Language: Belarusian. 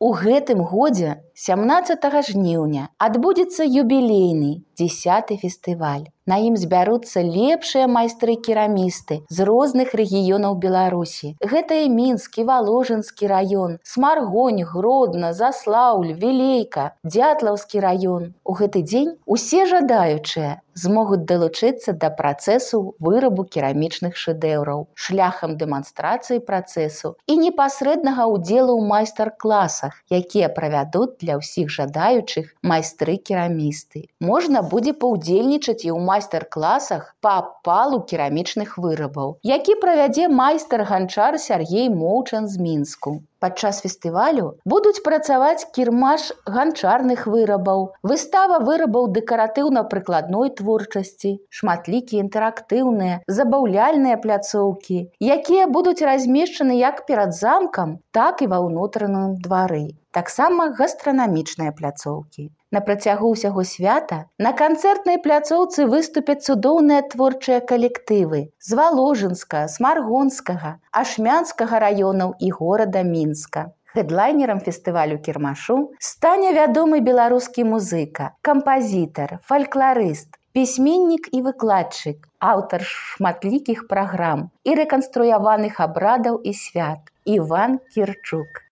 У гэтым годзе 17 жніўня адбудзецца юбілейны 10-й фестываль. На ім збяруцца лепшыя майстры-керамісты з розных рэгіёнаў Беларусі. Гэта і Мінскі, Валожынскі раён, Смаргонь, Гродна, Заслаўль, Вілейка, Дзятлаўскі раён. У гэты дзень усе жадаючыя змогуць далучыцца да працэсу вырабу керамічных шэдэўраў шляхам дэманстрацыі працэсу і непасрэднага ўдзелу ў майстар-класах, якія правядуць для ўсіх жадаючых майстры-керамісты. Можна будзе паўдзельнічаць і ў майстар-класах па апалу керамічных вырабаў, які правядзе майстар-ганчар Сяргей Моўчан з Мінску. Падчас фестывалю будуць працаваць кірмаш ганчарных вырабаў, выстава вырабаў дэкаратыўна-прыкладной творчасці, шматлікія інтэрактыўныя, забаўляльныя пляцоўкі, якія будуць размешчаны як перад замкам, так і ва ўнутраным двары. Таксама гастранамічныя пляцоўкі. На працягу ўсяго свята на канцэртнай пляцоўцы выступяць цудоўныя творчыя калектывы з Валожынска, Смаргонскага, Ашмянскага раёнаў і горада Мінска. Хэдлайнерам фестывалю кірмашу стане вядомы беларускі музыка, кампазітар, фалькларыст, пісьменнік і выкладчык, аўтар шматлікіх праграм і рэканструяваных абрадаў і свят Іван Кірчук.